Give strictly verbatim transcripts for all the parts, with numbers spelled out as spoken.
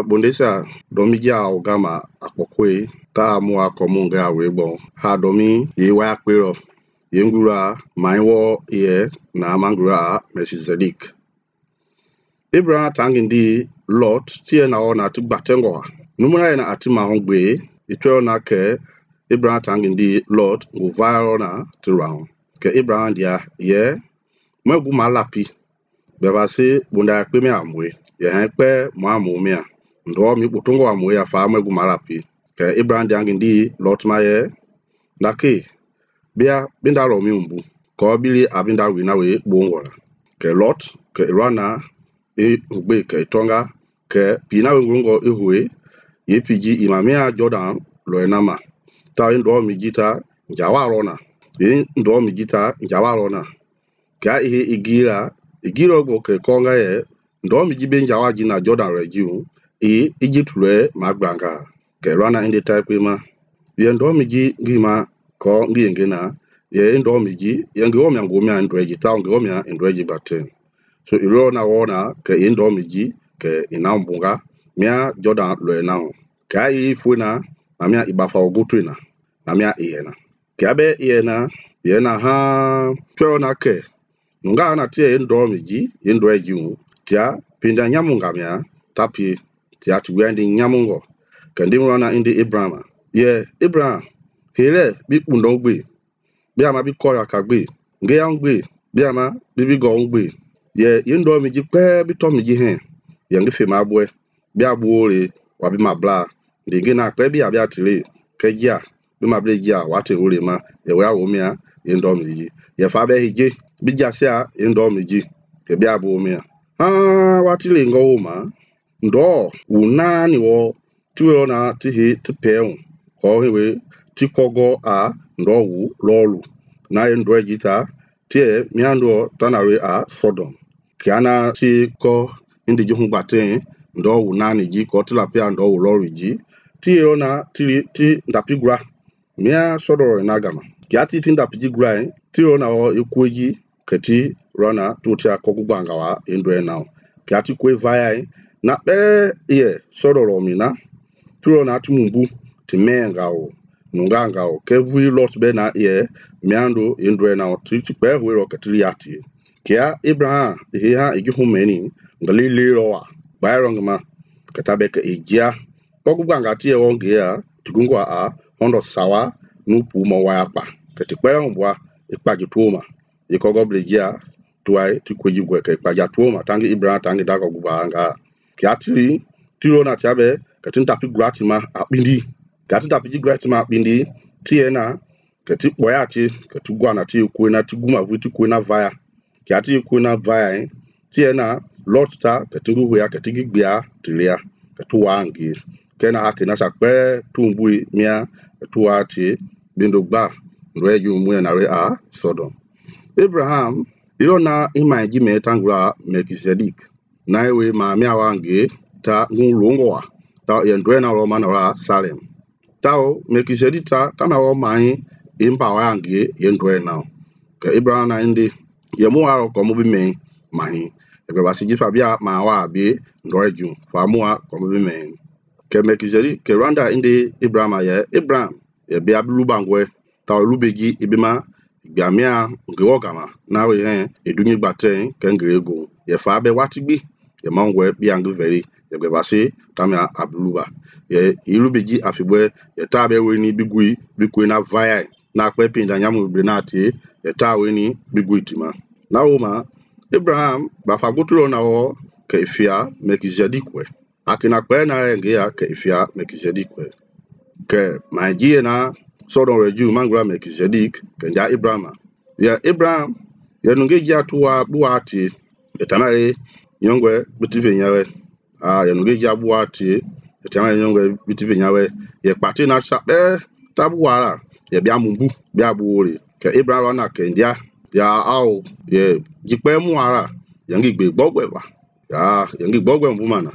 bondesa domi ja ogama akpokwe ta mua komunge awebo ha domi ye wa kwero ye ngura maiwo ye na mangura Melchizedek. Abraham tangindi Lot tie na ona tu batengo numuna na atima hongbe itwe na ke Abraham tangindi Lot nguvaro na tu round ke Abraham dia ye megu malapi beba se bunda yakpe me amwe ye hankpe mo amomia ndo mi butongo amwe ya fa megu malapi ke Abraham dia ngindi Lot ma ye nake bia binda lo mi umbu ko bili abinda wina we bongola ke Lot ke Irana e ugbe ke tonga ke pina ngongo ehwe ye piji imamia Jordan lo enama ta ndo mi jita njawa rona ye ndo mi jita njawa rona ka ihe igira igira gbo ke konga ye ndo mi jibe njawa ji na Jordan regiu e Egypt le magbanga ke Rana inde type ma ye ndo mi ji ngima ko ngiyengena ye ndo mi ji ye ngo mi ngo mi andreji ta ngo mi andreji baten so iro na wona ke ye ndo mi ji ke inambunga mia Jordan lo na ka yi fuena na mia ibafa ogutuna na mia iyena ke abe iyena yena ha tro na ke nga na tie ndo mi ji ye ndo eji tia pinda nyamunga mia tapi tia tu wendi nyamungo ke ndi rona indi Abraham ye Abraham here bi kundo gbe bi ama bi ko ya kagbe nge ya ngbe bi ama bi bi go ngbe ye ye ndo mi ji pe bi to mi ji hen ye nge fe ma bwe bi abuore wa bi ma bla ndi nge na pe bi abia tire ke ja bi ma ble ja wa te ore ma ye wa wo mia ye ndo mi ji ye fa be hije bi jasia ye ndo mi ji ke bi abu mia ah wa tire ngo ma ndo una ni wo tuwe na tihi tipeun ko hewe tikogo a ndo wu lolu na ye ndo ejita tie miando tanare a Sodom kiana ti ko indi juhu gbate ndo wu nani ji ko tilapia ndo wu lolu ji ti ona ti ti ndapigra mia Sodom na gama kiati ti ndapigra ti ona o ekweji keti Rana tutia kogugbanga wa ndo na kiati kwe vaya na pere ye Sodom mina ti ona tumumbu ti mengao nungangao ke vui Lot be na ye miando ndo na ti ti pe we ro ketri ati kia Abraham he ha ejuhu meni ngali lero wa bayrong ma katabe ke ejia kogugbanga ti e wonge ya tugungwa a hondo sawa nupu mo wa apa keti pere mbwa ipaji tuoma ikogo blejia tuai ti kweji gwe ke ipaja tuoma tangi Abraham tangi dago gubanga kiati tiro na tiabe ketin tapi gratima akpindi kati tapi gratima akpindi tiena keti boya ti keti gwa na ti ku na ti guma vu ti ku na via kiati ku na via tiena Lot ta keti hu ya keti gbia tilia ketu wangi kena akina sakpe tumbui mia tuwa ti bindo gba nreju mu na re a Sodom. Abraham iro na imaji me tangura Melchizedek na ewe ma mia wangi ta ngulongo wa ta yendwe na Roma na ra Salem tao Melchizedek ta kama wo mai imba wangi yendwe na ke Abraham na indi ye mu aro ko mu bi me mai ebe basiji fabia ma wa bi ndoreju fa mu a ko mu bi me ke Melchizedek ke randa indi Abraham ye Abraham ye bi ablu bangwe ta lubeji ibima gbiamia ngewo gama na we he edunyi gbate ke ngrego ye fa be watigbi ye mangwe bi ang veri ye be basi tamia abluba ye ilubeji afibwe ye ta be we ni bigui bikwe na vaya na kwe pinda nyamu brenati ye ta we ni bigui tima na uma Abraham ba fagutulo na wo ke ifia Melchizedek we akina kwe na nge ya ke ifia Melchizedek we ke majie na Sodom reju mangura Melchizedek ke ja Abraham ya Abraham ye nunge ja tuwa buati etanare nyongwe bitive nyawe ah ye nunge ja buati etanare nyongwe bitive nyawe ye pati na sabe tabuara ye bia mumbu bia buore ke Abraham na ke ndia ya au ye jikpe mu ara ye ngi gbe gbogwe ba ya ye ngi gbogwe mbu mana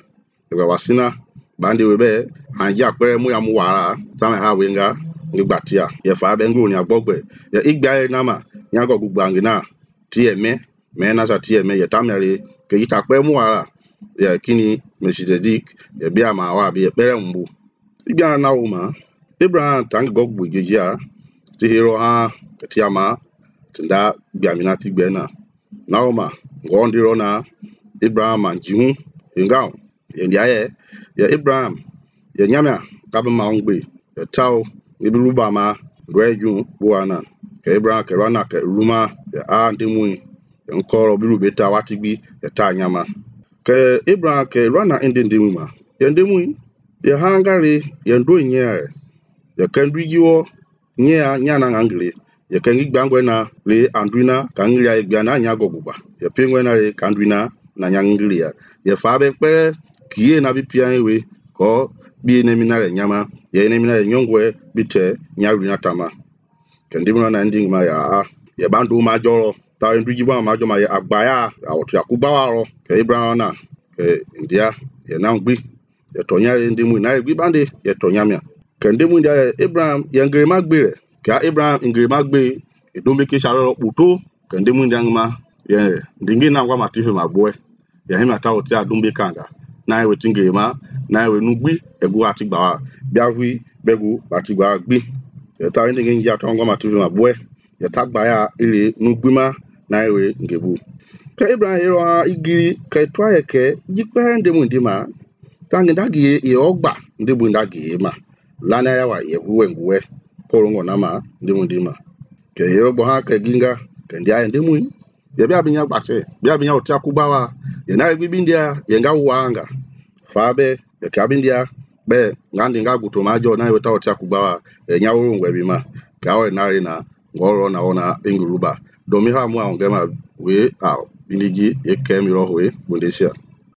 ye wasina bandi webe anja kpere mu ya mu wara tama ha wenga ngbatia ye fa be ngru ni agbogbe ye igba na ma nya go gbangina ti eme me na sa ti eme ye tamere ke yita pe mu ara ya kini Melchizedek ya bia ma wa bi bere mbu ibia na wo ma Abraham tang go gbu geja ti hero ha tiama tinda bia mina ti gbe na na wo ma ngo ndiro na Abraham man jihu ngao ye ndia ye ya Abraham ya nyamia ka ba ma ngbe ya tao ibi ruba ma reju buana ke Abraham ke rana ke ruma ya a ndimui ya nkoro biru beta watigbi ya ta nyama ke Abraham ke rana indi ndimui ma ya ndimui ya hangare ya ndo nye ya kendwigiwo nya nya na ngangre ya kengi gbangwe na le andwina ka ngri ya gbia na nya gogugba ya pengwe na le ka andwina na nya ngri ya ya fa be pere kiye na bi pia ewe ko bi ne minare nyama ya ne minare nyongwe bite nya runa tama kendimuna na nding ma ya ya bandu ma joro ta ndwigi ba ma joma ya agbaya awtu yakuba waro ke Abraham na ke ndia ya na ngbi ya tonya ndimu na gbi bande ya tonya mia kendemu ndia Abraham ya ngre magbere ka Abraham ngre magbe edombe ke sharo puto kendemu ndia ma ya ndingi na ngwa matife magboe ya hima ta oti adombe kanga na we tingre ma na we nugbi egu atigba biavi begu atigba gbi ya ta ndingi nja ta ngwa matife magboe ya tagba ya ile nugbima na we ngebu ka Abraham hero igiri ka twa yeke jikpe ndemu ndima tangi ndagi ye ogba ndemu ndagi ma lana ya wa ye buwe nguwe korongo na ma ndemu ndima ke hero bo ha ke ginga ke ndia ndemu ya bia binya gbate bia binya otia kubawa ye na gbi ndia ye nga wanga fa be ya ka bindia be ngandi nga guto majo na we ta otia kubawa e nya woro ngwe bi ma ka o na ri na ngoro na ona inguruba domi ha mu a ngema we a binigi e kemi rohwe bundesia